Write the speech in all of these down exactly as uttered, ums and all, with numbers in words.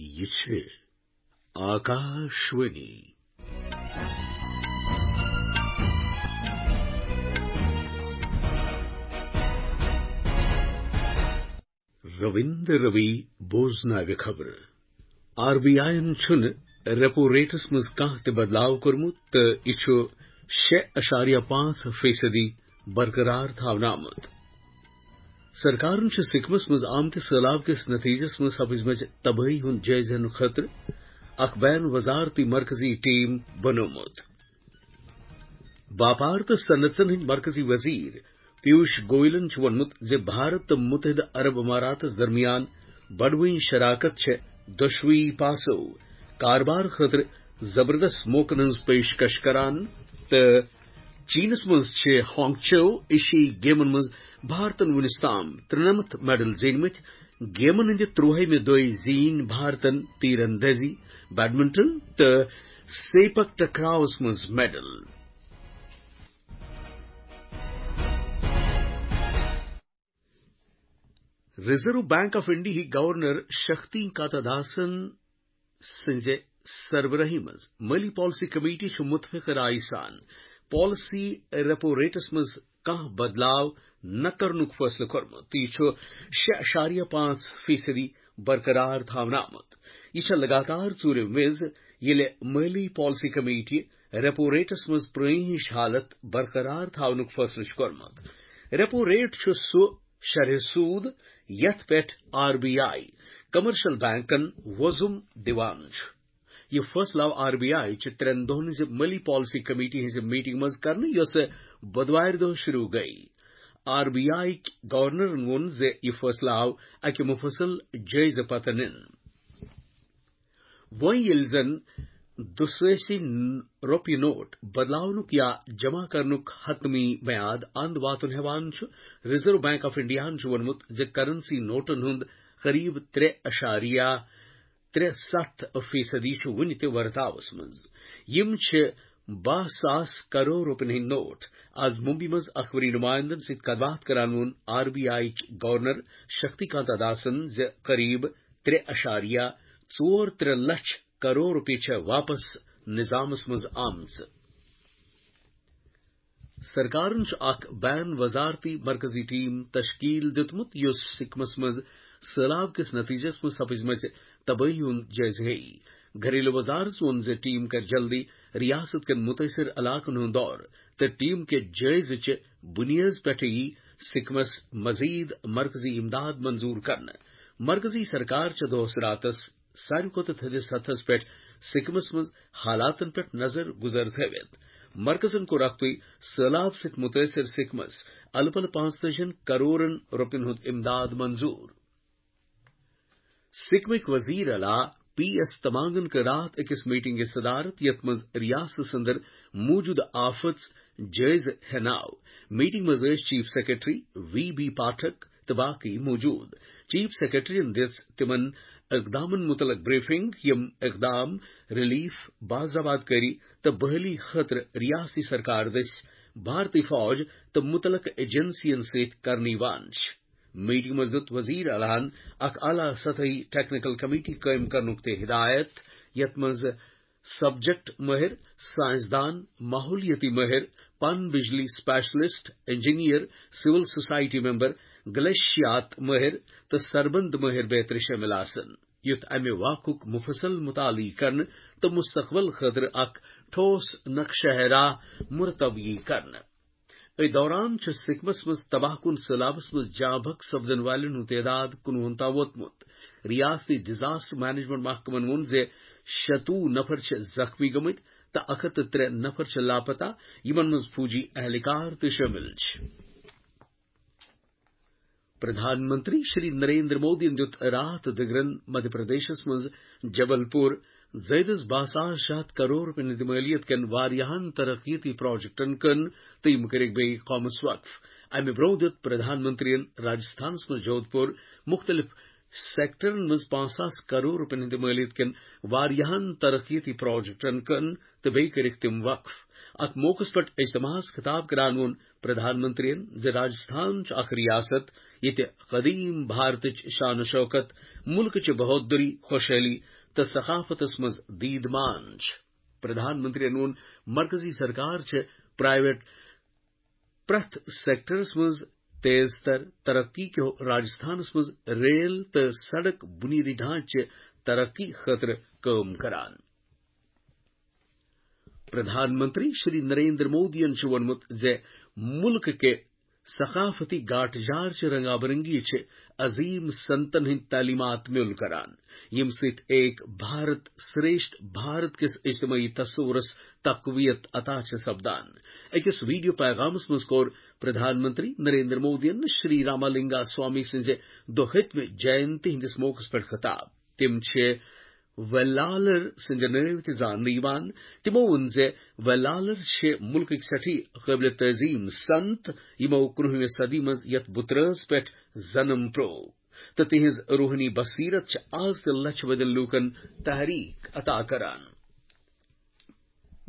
یہِ چھِ آکاشوانی۔ رٔوِندر رٔوی بوزناوِ خبرٕ۔ آر بی آیَن چھُنہٕ ریپو ریٹس منٛز کانٛہہ تہِ بدلاو کوٚرمُت تہٕ یہِ چھُ شےٚ اَشاریہ پانٛژھ فیصدی برقرار تھاونہٕ آمُت۔ سرکارن چھُ سکمس منٛز آمتہِ سٔہلاب کِس نتیجس منٛز سپٕزمٕژ تبٲہی ہُنٛد جٲیزٕ ہینہٕ خٲطرٕ اکھ بین وزارتی مرکزی ٹیم بنوومُت۔ باپار تہٕ صنعژن ہٕنٛدۍ مرکزی وزیر پیوش گوئلن چھُ ووٚنمُت زِ بھارت تہٕ متحدہ عرب اماراتس درمیان بڑوٕنۍ شراکت چھےٚ دۄشوٕے پاسو کاربار خٲطرٕ زبردست موقعن ہٕنٛز پیشکش کران تہٕ چینس منٛز چھِ ہانگچو ایشیائی گیمن منٛز بھارتن وُنیُس تام ترٛنَمتھ میڈل زیٖنمٕتۍ۔ گیمن ہٕنٛدِ ترٛوہمہِ دۄہہِ زیٖنۍ بھارتن تیر اندازی، بیڈمنٹن تہٕ سیپک ٹکراوس منٛز میڈل۔ ریزرو بینک آف انڈیاہٕکۍ گورنر شکتی کاتا داسن سٕنٛزِ سربرٲہی منٛز مٲلی پالیسی کمیٹی چھُ متفق رائے سان پالیسی ریپو ریٹس منٛز کانٛہہ بدلاو نہ کرنُک فٲصلہٕ کوٚرمُت تہٕ یہِ چھُ شےٚ اَشاریہ پانٛژھ فیصدی برقرار تھاونہٕ آمُت۔ یہِ چھےٚ لگاتار ژوٗرِم وِزِ ییٚلہِ مٲلی پالیسی کمیٹی ریپو ریٹس منٛز پرٲنۍ ہِش حالت برقرار تھاونُک فٲصلہٕ چھُ کوٚرمُت۔ ریپو ریٹ چھُ سُہ شرح سود یتھ پٮ۪ٹھ آر بی آئی کمرشل بینکن وۄزُم دِوان چھُ۔ یہِ فٲصلہٕ آو آر بی آئی چہِ ترٛٮ۪ن دۄہن ہٕنٛزِ مٲلی پالیسی کمیٹی ہٕنٛزِ میٹنگ منٛز کرنہٕ، یۄسہٕ بۄدوارِ دۄہ شروع گٔیہِ۔ آر بی آئی گورنرن ووٚن زِ یہِ فٲصلہٕ آو اکہِ مفصل جٲیزٕ پتہٕ نِنہٕ۔ وۄنۍ ییٚلہِ زن دُسٲسی ن-، رۄپیہِ نوٹ بدلاونُک یا جمع کرنُک حتمی میعاد اند واتُن ہٮ۪وان چھُ، ریزرو بینک آف انڈیاہن چھُ ووٚنمُت زِ کرنسی نوٹن ہُنٛد قریب ترٛےٚ اَشاریہ ترٛےٚ ستھ فیصدی چھُ وُنہِ تہِ ورتاوس منٛز۔ یِم چھِ باہ ساس کرور رۄپین ہٕنٛدۍ نوٹ۔ از ممبئی منٛز اخبٲری نمائندن سۭتۍ کتھ باتھ کران ووٚن R B I governor Shakti Kanta داسن زِ قریب ترٛےٚ اَشاریہ ژور ترٛےٚ لچھ کرور رۄپیہِ چھےٚ واپس نظامس منٛز آمژٕ۔ سرکارن چھُ اکھ بین وزارتی مرکزی ٹیم تشکیل دیُتمُت، یُس سکمس منٛز سٔہلاب کِس نتیجس منٛز سپٕزمٕژ تبٲہی ہُنٛد جٲیزٕ ہیٚیہِ۔ گھریلو وزارت ووٚن زِ ٹیم کرِ جلدی ریاست کٮ۪ن مُتٲثِر علاقن ہُنٛد دورٕ تہٕ ٹیم کہِ جٲیزٕ چہِ بُنیٲدِ پٮ۪ٹھٕ یِیہِ سکمس مزید مرکزی امداد منظور کرنہٕ۔ مرکزی سرکار چھےٚ دۄہس راتس ساروی کھۄتہٕ تھٔدِس سطحس پٮ۪ٹھ سکمس منٛز حالاتن پٮ۪ٹھ نظر گُزر تھٲوِتھ۔ مرکزن کوٚر اکھتُے سٔہلاب سۭتۍ مُتٲثِر سکمس الہٕ پلہٕ پانٛژتٲجی کرورن رۄپین ہُنٛد امداد منظور۔ سکمٕکۍ وزیر اعلیٰ پی ایس تمانگن کٔر راتھ أکِس میٹنگہِ صدارت، یتھ منٛز ریاست اندر موجودٕ آفژ جٲیزٕ ہٮ۪نہٕ آو۔ میٹنگ منٛز ٲسۍ chief secretary V B Pathak تہٕ باقی موجود۔ چیف سیکرٹریَن دِژ تِمَن اقدامن مُتعلق بریفنگ، یِم اقدام ریلیف، باضابطہ کٲری تہٕ بحالی خٲطرٕ ریاستی سرکار دٔسۍ بھارتی فوج تہٕ مُتعلقہٕ ایجنسیَن سۭتۍ کرنہٕ یِوان چھِ۔ میٹنگ منٛز دِیُت وزیر اعلیٰ ہَن اکھ اعلیٰ سطحی ٹیکنیکل کمیٹی قٲیِم کرنُک تہِ ہدایت، یَتھ منٛز سبجیکٹ مٲہِر، سائنسدان، ماحولیٲتی مٲہِر، پن بجلی اسپیشلسٹ، انجینئر، سول سوسائٹی ممبر، گلیشیات مٲہِر تہٕ سربند مٲہِر بیترِ شٲمِل آسن، یُتھ امہِ واقعُک مُفصل مطالعہٕ یی کرنہٕ تہٕ مستقبل خٲطرٕ اکھ ٹھوس نقشہ راہ مرتب یی کرنہٕ۔ أتھۍ دوران چھُ سکمس منٛز تباہ کُن سٔہلابس منٛز جاں بحق سپدن والٮ۪ن ہُنٛد تعداد کُنوُہن تام ووتمُت۔ ریاستی ڈیزاسٹر مینجمنٹ محکمن ووٚن زِ شتوُہ نفر چھِ زخمی گٔمٕتۍ تہٕ اکھ ہتھ تہٕ ترٛےٚ نفر چھِ لاپتہ، یِمن منٛز فوجی اہلکار تہِ شٲمِل چھِ۔ پردھان منتری شری نریندر مودیَن دیُت راتھ دِگرن مدھیہ پردیشس منٛز جبل پور زٲیدس باہ ساس شےٚ ہتھ کرور رۄپین ہٕنٛدِ مٲلیت کٮ۪ن واریاہن ترقیتی پروجیکٹن کٕن تہٕ یِم کٔرِکھ بیٚیہِ قومس وقف۔ امہِ برٛونٛہہ دیُت پردھان منتریَن راجستھانس منٛز جودھ پور مُختٔلِف سیکٹرن منٛز پانٛژھ ساس کرور رۄپین ہٕنٛدِ مٲلیت کٮ۪ن واریاہن ترقیتی پروجیکٹن کٕن تہٕ بیٚیہِ کٔرِکھ تِم وقف۔ اتھ موقعس پٮ۪ٹھ اجتماعس خطاب کران ووٚن پردھان منتریَن زِ راجستھان چھُ اکھ ریاست ییٚتہِ قدیم بھارتٕچ شان و شوکت، ملکٕچ بہادری، خوشحالی تہٕ ثقافتس منٛز دیٖد مان چھِ۔ پردھان منتریَن ووٚن، مرکزی سرکار چھِ پرائیویٹ پرٛٮ۪تھ سیکٹرس منٛز تیز تر ترقی کیو راجستھانس منٛز ریل تہٕ سڑک بنیٲدی ڈھانچہٕ ترقی خٲطرٕ کٲم کران۔ پردھان منتری شری نریندر مودیَن چھُ ووٚنمُت زِ ملک کہِ ثقافتی گاٹھ جار چہِ رنگا برنگی چھِ عظیم سنتن ہٕنٛدۍ تعلیمات میول کران، ییٚمہِ سۭتۍ ایک بھارت شریشٹھ بھارت کِس اجتماعی تصورس تقویت عطا چھِ سپدان۔ أکِس ویڈیو پیغامس منٛز کوٚر پردھان منتری نریندر مودیَن شری راما لنگا سوامی سٕنٛزِ دُہٲتمہِ جینتی ہٕنٛدِس موقعس پٮ۪ٹھ خطاب۔ تِم چھِ ویلالر سٕنٛدِ نٲوِ تہِ زاننہٕ یِوان۔ تِمو ووٚن زِ ویلالر چھِ مُلکٕکۍ سٮ۪ٹھٕے قٲبلِ تعظیٖم سنت، یِمو کُنوُہمہِ صدی منٛز یَتھ بُترٲژ پٮ۪ٹھ جنم پرٛوو، تہٕ تِہنٛز روحٲنی بصیرت چھِ آز تہِ لچھِ بٔدٮ۪ن لوٗکن تحریک عطا کران۔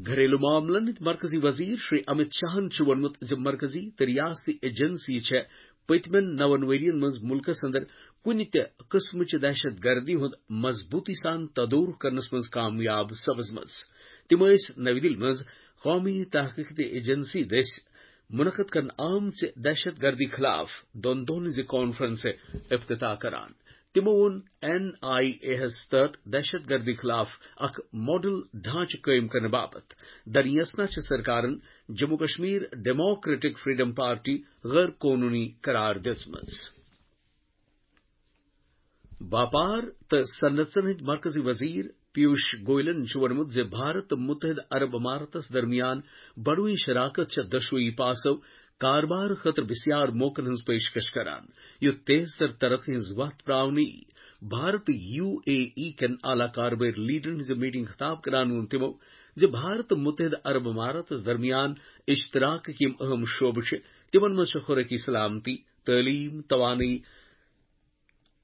گھریلو معاملن ہٕنٛدۍ مرکزی وزیر شری امت شاہن چھُ ووٚنمُت زِ مرکزی تہٕ ریاستی ایجنسی چھےٚ پٔتمٮ۪ن نَوَن ؤرین منٛز مُلکس اندر کُنہِ تہِ قٕسمٕچہِ دہشت گردی ہُنٛد مضبوٗطی سان تدورُک کرنس منٛز کامیاب سپٕزمٕژ۔ تِم ٲسۍ نَوِ دِلہِ منٛز قومی تحقیقی ایجنسی دٔسۍ منعقد کرنہٕ آمژِ دہشت گردی خلاف دۄن دۄہن ہٕنٛزِ کانفرنسہِ افتتاح کران۔ تِمو ووٚن، این آئی اے ہس تحت دہشت گردی خلاف اکھ ماڈل ڈھانچہٕ قٲیِم کرنہٕ باپتھ درنیسنا چھِ سرکارن Jammu Kashmir democratic freedom party غٲر قونوٗنی قرار دِژمٕژ۔ باپار تہٕ صنعژن ہٕنٛدۍ مرکزی وزیر پیوش گوئلن چھُ ووٚنمُت زِ بھارت تہٕ متحدہ عرب اماراتس درمیان بڑوٕنۍ شراکت چھےٚ دۄشوٕیی پاسو کاربار خٲطرٕ بسیار موقعن ہٕنٛز پیشکش کران، یُتھ تیز تر ترقی ہٕنٛز وتھ پراونہٕ یی۔ بھارت تہٕ یو اے ای کٮ۪ن اعلیٰ کاربٲرۍ لیڈرن ہٕنٛز میٹنگ خطاب کران ووٚن تِمو زِ بھارت تہٕ متحدہ عرب اماراتس درمیان اشتراکٕکۍ یِم اہم شعبہٕ چھِ، تِمن منٛز چھِ خوراکی سلامتی، تعلیم، توانٲیی،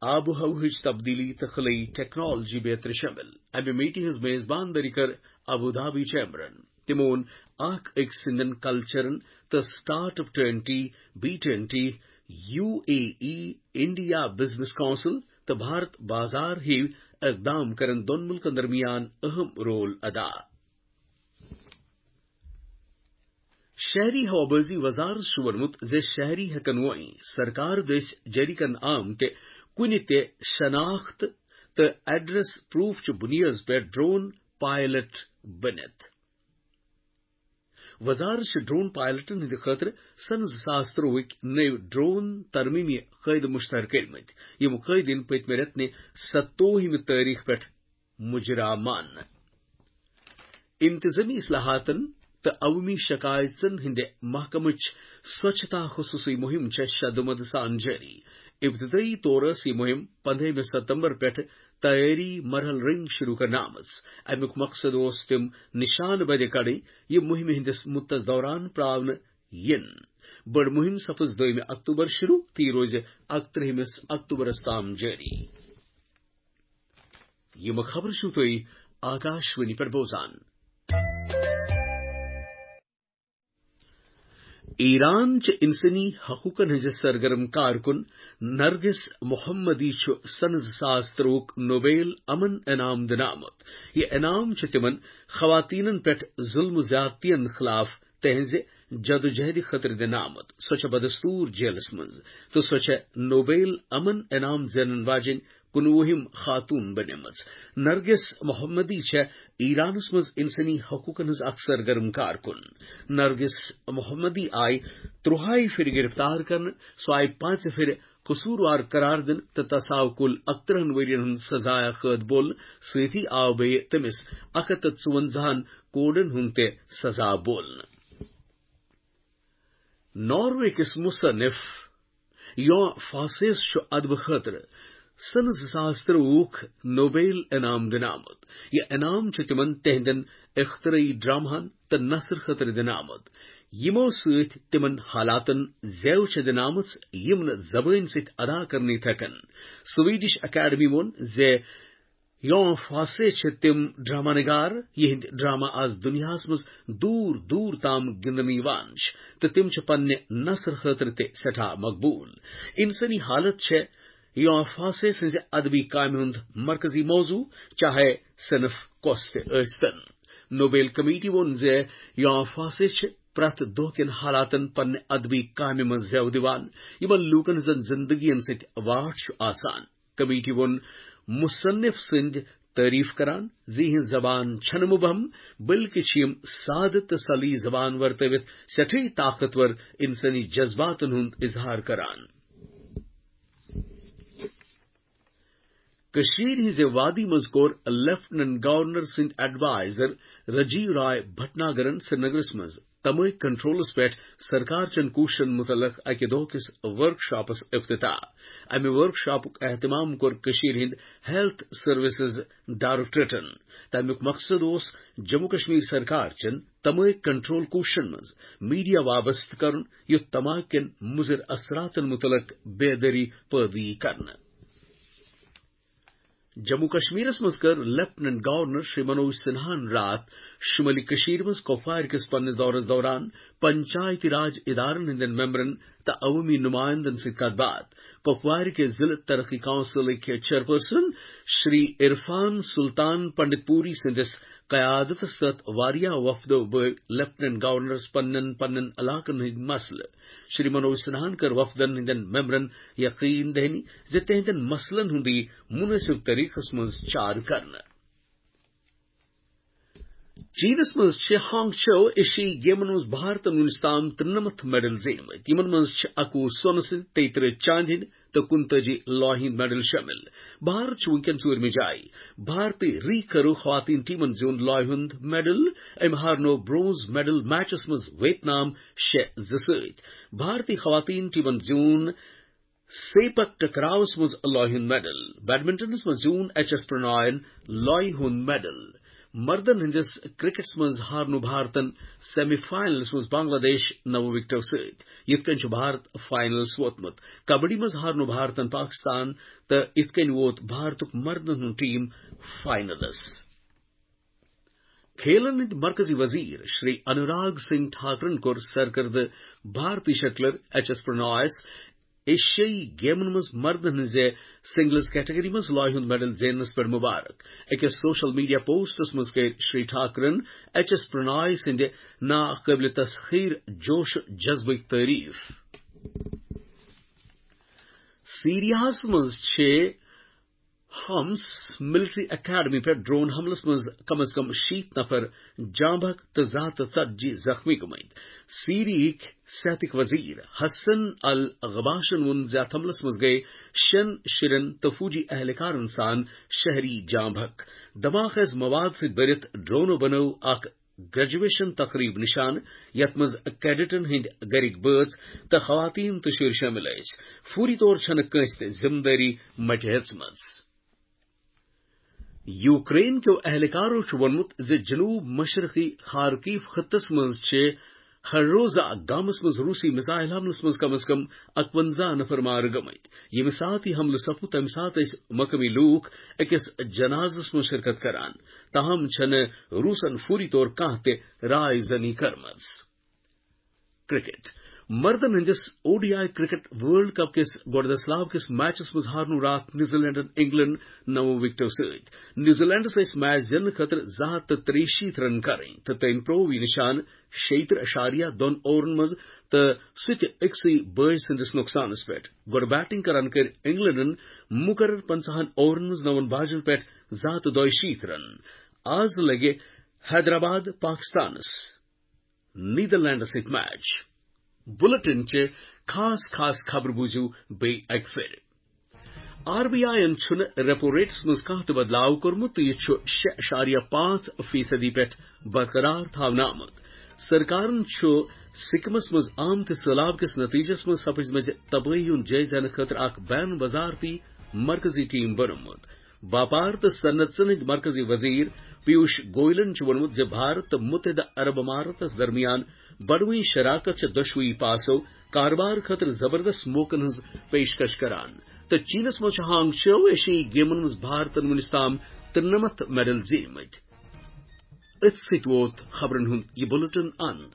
آب و ہوہٕچ تبدیلی تہٕ خلٲیی ٹیکنالوجی بیترِ شٲمِل۔ امہِ میٹنگ ہٕنٛز میزباندٲری کٔر ابو دھابی چیمبرن۔ تِمو ووٚن، اکھ أکۍ سٕنٛدٮ۪ن کلچرن تہٕ start up twenty B twenty, U A E, India business council تہٕ بھارت بازار ہِوۍ اقدام کرن دۄن ملکن درمیان اہم رول ادا۔ شہری ہوابازی وزارت چھُ ووٚنمُت زِ شہری ہٮ۪کن وۄنۍ سرکار دٔسۍ جٲری کرنہٕ آمتہِ کُنہِ تہِ شناخت تہٕ ایڈریس پروف چہِ بُنیٲدِ پٮ۪ٹھ ڈرون پائلٹ بٔنِتھ۔ وزارت چھِ ڈرون پائلٹن ہٕنٛدِ خٲطرٕ سنہٕ زٕ ساس ترٛۆوُہٕکۍ نٔوۍ ڈرون ترمیمی قٲیدٕ مشتہر کٔرمٕتۍ، یِم قٲیدٕ یِن پٔتمہِ رٮ۪تہٕ نہِ ستووُہمہِ تٲریخ پٮ۪ٹھ مجرا ماننہٕ۔ انتظامی اصلاحاتن تہٕ عوٲمی شکایژن ہٕنٛدِ محکمٕچ سوچھتا خصوصی مہم چھےٚ شدومت سان جٲری۔ ابتدٲئی طور ٲس یہِ مہم پندہمہِ ستمبر پٮ۪ٹھ تیٲری مرحلہٕ رنگۍ شروع کرنہٕ آمٕژ۔ امیُک مقصد اوس تِم نشانہٕ بدِ کڑٕنۍ، یِم مہمہِ ہٕنٛدِس مُدتس دوران پراونہٕ یِن۔ بٔڑ مہم سپٕز دٔیمہِ اکتوبر شروع تہٕ یہِ روزِ اکترٕہمِس اکتوبرس تام جٲری۔ یِم خبرٕ چھِو تُہۍ آکاشوانی پٮ۪ٹھ بوزان۔ ایران چہِ انسٲنی حقوقن ہٕنٛزِ سرگرم کارکُن نرگس محمدی چھُ سنہٕ زٕ ساس ترٛۆوُک نوبیل امن انعام دِنہٕ آمُت۔ یہِ انعام چھُ تِمن خواتینن پٮ۪ٹھ ظلم و زیادتین خلاف تہنٛزِ جدوجہدِ خٲطرٕ دِنہٕ آمُت۔ سۄ چھےٚ بدستور جیلس منٛز تہٕ سۄ چھےٚ نوبیل امن انعام زینن واجیٚنۍ کُنوُہِم خاتون بنیمٕژ۔ نرگس محمدی چھےٚ ایرانس منٛز انسٲنی حقوقن ہٕنٛز اکھ سرگرم کارکُن۔ نرگس محمدی آیہِ ترٛۆہے پھِرِ گرفتار کرنہٕ، سۄ آیہِ پانٛژِ پھِرِ قصوٗروار قرار دِنہٕ تہٕ تس آو کُل اکترٕہن ؤرین ہُنٛد سزایہ قٲد بولنہٕ۔ سۭتی آو بیٚیہِ تٔمِس اکھ ہتھ تہٕ ژُونزاہن کوڑن ہُنٛد تہِ سزا بولنہٕ۔ ناروے کِس مصنف یو فاسیس چھُ ادبہٕ خٲطرٕ سنہٕ زٕ ساس ترٛۆوُک نوبیل انعام دِنہٕ آمُت۔ یہِ انعام چھُ تِمن تِہنٛدٮ۪ن اختراعی ڈرامہن تہٕ نثر خٲطرٕ دِنہٕ آمُت، یِمو سۭتۍ تِمن حالاتن زٮ۪و چھےٚ دِنہٕ آمٕژ، یِم نہٕ زبٲنۍ سۭتۍ ادا کرنہٕ یِتھ ہٮ۪کن۔ سویڈش اکیڈمی ووٚن زِ یوم فاسے چھِ تِم ڈرامہ نگار، یِہنٛدۍ ڈرامہ از دُنیاہس منٛز دوٗر دوٗر تام گِنٛدنہٕ یِوان چھِ، تہٕ تِم چھِ پننہِ نثرٕ خٲطرٕ تہِ سٮ۪ٹھاہ مقبوٗل۔ انسٲنی حالت چھےٚ یوم فاسے سٕنٛزِ ادبی کامہِ ہُنٛد مرکزی موضوع، چاہے صنف کۄس تہِ ٲسۍتن۔ نوبیل کمیٹی ووٚن زِ یوم فاسے چھِ پرٛٮ۪تھ دۄہ کٮ۪ن حالاتن پننہِ ادبی کامہِ منٛز زٮ۪و دِوان، یِمن لوٗکن ہٕنٛزن زندگین سۭتۍ واٹھ چھُ آسان۔ کمیٹی ووٚن مصنف سٕنٛدۍ تعریف کران زِ یِہٕنٛز زبان چھنہٕ مُبہم، بلکہِ چھِ یِم سادٕ تہٕ سلی زبان ورتٲوِتھ سٮ۪ٹھٕے طاقتور انسٲنی جذباتن ہُنٛد اظہار کران۔ کٔشیٖرِ ہٕنٛزِ وادی منٛز کوٚر لیفٹیننٹ گورنر سٕنٛدۍ ایڈوائزر رجیو رائے بھٹناگرن سرینگرس منٛز تمٲکۍ کنٹرولس پٮ۪ٹھ سرکار چٮ۪ن کوٗششن مُتعلق اکہِ دۄہ کِس ورکشاپس افتتاح۔ امہِ ورکشاپُک اہتمام کوٚر کٔشیٖرِ ہٕنٛدۍ ہیلتھ سروسز ڈائریکٹوریٹن۔ تمیُک مقصد اوس جموں کشمیر سرکار چٮ۪ن تمٲکۍ کنٹرول کوٗششن منٛز میڈیا وابستہٕ کرُن، یُتھ تماکٮ۪ن مُضر اثراتن مُتعلق بیدٲری پٲدٕ یی کرنہٕ۔ جموں کشمیرس منٛز کٔر لیفٹیننٹ گورنر شری منوج سنہاہن راتھ شمٲلی کٔشیٖرِ منٛز کۄپوارِ کِس پننِس دورس دوران پنچایتی راج ادارن ہٕنٛدٮ۪ن ممبرن تہٕ عوٲمی نمایندن سۭتۍ کتھ باتھ۔ کۄپوارِ کہِ ضلعہٕ ترقی کونسلٕکۍ چیئرپرسن شری عرفان سلطان پنڈت پوری سٕنٛدِس قیادتس تحت واریاہ وفدو بٲوۍ لیفٹیننٹ گورنرس پننٮ۪ن پننٮ۪ن علاقن ہٕنٛدۍ مسلہٕ۔ شری منوج سنہاہن کٔر وفدن ہٕنٛدٮ۪ن ممبرن یقین دہانی زِ تِہنٛدٮ۪ن مسلن ہُنٛد یی مُنٲسِب طریقس منٛز چارٕ کرنہٕ۔ چینس منٛز چھِ ہانگ چو ایشیائی گیمن منٛز بھارتن وُنیُس تام ترٛنَمتھ میڈل زیٖنمٕتۍ۔ یِمن منٛز چھِ اَکوُہ سۄنہٕ سٕنٛدۍ، تیٚیہِ ترٕہ چاندِ ہٕنٛدۍ تہٕ کُنتٲجی لوہہِ ہٕنٛدۍ میڈل شٲمِل۔ بھارت چھُ وُنکٮ۪ن ژوٗرمہِ جایہِ۔ بھارتی ری کرو خواتین ٹیمن زیوٗن لوہہِ ہُنٛد میڈل۔ أمۍ ہارنوو برونز میڈل میچس منٛز ویتنام شےٚ زٕ سۭتۍ۔ بھارتی خواتین ٹیمن زیوٗن سیپک ٹکراوس منٛز لوہہِ ہُنٛد میڈل۔ بیڈمنٹنس منٛز زیوٗن ایچ ایس پرناین لوہہِ ہُنٛد میڈل۔ مردن ہٕنٛدِس کرکٹس منٛز ہارنوو بھارتن سیمی فاینلس منٛز بنگلہ دیش نَو وکٹو سۭتۍ۔ یِتھ کٔنۍ چھُ بھارت فاینلس ووتمُت۔ کبڈی منٛز ہارنوو بھارتن پاکستان تہٕ یِتھ کٔنۍ ووت بھارتُک مردن ہُنٛد ٹیٖم فاینلس۔ کھیلن ہٕنٛدۍ مرکزی وزیر شری انوراگ سنگھ ٹھاکرن کوٚر سرکردٕ بھارتی شٹلر ایچ ایس پرنایس ایشیائی گیمن منٛز مردن ہٕنٛزِ سنگلز کیٹگری منٛز لوہہِ ہُنٛد میڈل زیننس پٮ۪ٹھ مبارک۔ أکِس سوشل میڈیا پوسٹس منٛز کٔرۍ شری ٹھاکرن ایچ ایس پرناے سٕنٛدِ ناقٲبلِ تسخیر جوش و جذبٕچ تعریف۔ سیریاہس منٛز چھِ حمس ملٹری اکیڈمی پٮ۪ٹھ ڈرون حملس منٛز کم از کم شیٖتھ نفر جاں بحق تہٕ زٕ ہتھ تہٕ ژتجی زخمی گٔمٕتۍ۔ سیریہٕکۍ صحتٕکۍ وزیر حسن الغباشن ووٚن زِ اتھ حملس منٛز گٔیہِ شٮ۪ن شُرٮ۪ن تہٕ فوجی اہلکارن سان شہری جاں بحق۔ دھماکہٕ ٲسۍ مواد سۭتۍ بٔرِتھ، ڈرونو بنٲو اکھ گریجویشن تقریب نشان، یتھ منٛز کیڈٹن ہٕنٛدۍ گرٕکۍ بٲژ تہٕ خواتین تہٕ شُرۍ شٲمِل ٲسۍ۔ فوری طور چھنہٕ کٲنٛسہِ تہِ ذمہٕ دٲری مٹہِ ہیژمٕژ۔ یوکرین کیو اہلکارو چھُ ووٚنمُت زِ جنوب مشرقی خارکیو خطس منٛز چھِ ہروزا گامس منٛز روسی میزائل حملس منٛز کم از کم اکونزہ نفر مارٕ گٔمٕتۍ۔ ییٚمہِ ساتہٕ یہِ حملہٕ سپُد، تَمہِ ساتہٕ ٲسۍ مقٲمی لوٗکھ أکِس جنازس منٛز شرکت کران۔ تاہم چھنہٕ روسن فوری طور کانٛہہ تہِ راے زنی کٔرمٕژ۔ کرکٹ۔ مردن ہٕنٛدِس O D I cricket world cup کِس گۄڈٕ دسلاب کِس میچس منٛز ہارنوو راتھ نیوزی لینڈن انگلینڈ نَو وکٹو سۭتۍ۔ نیوزی لینڈس ٲسۍ میچ زیننہٕ خٲطرٕ زٕ ہتھ تہٕ ترٛیہِ شیٖتھ رن کرٕنۍ تہٕ تٔمۍ پرٛوو یہِ نشان شیٚیہِ ترٕہ اَشاریہ دۄن اوورن منٛز تہٕ سُہ تہِ أکسٕے بٲجۍ سٕنٛدِس نۄقصانس پٮ۪ٹھ۔ گۄڈٕ بیٹنگ کران کٔرۍ انگلینڈن مقرر پنٛژاہن اوورن منٛز نَون باجن پٮ۪ٹھ زٕ ہتھ تہٕ دۄیہِ شیٖتھ رن۔ آز لگہِ حیدرآباد پاکستانس نیدرلینڈس سۭتۍ میچ۔ بُلٹن چہِ خاص خاص خبرٕ بوٗزِو بیٚیہِ اکہِ پھِرِ۔ آر بی آئی یَن چھُنہٕ ریپو ریٹس منٛز کانٛہہ تہِ بدلاو کوٚرمُت تہٕ یہِ چھُ شےٚ اَشاریہ پانٛژھ فیصدی پٮ۪ٹھ برقرار تھاونہٕ آمُت۔ سرکارن چھُ سکمس منٛز آمتہِ سٔہلاب کِس نتیجس منٛز سپٕزمٕژ تبٲہی ہُنٛد جٲیزٕ ہینہٕ خٲطرٕ اکھ بین وزارتی مرکزی ٹیم بنوومُت۔ باپار تہٕ صنعتن ہٕنٛدۍ مرکزی وزیر پیوش گوئلن چھُ ووٚنمُت زِ بھارت تہٕ متحدہ عرب اماراتس درمیان بڑوٕنۍ شراکت چھِ دۄشوٕے پاسو کارٕبار خٲطرٕ زبردست موقعن ہٕنٛز پیشکش کران۔ تہٕ چینس منٛز چھُ ہانگ چو ایشیائی گیمن منٛز بھارتن وُنیُس تام تہٕ نَمَتھ میڈل زیٖنمٕتۍ۔ أتھۍ سۭتۍ ووت خبرن ہُنٛد یہِ بلیٹن اند۔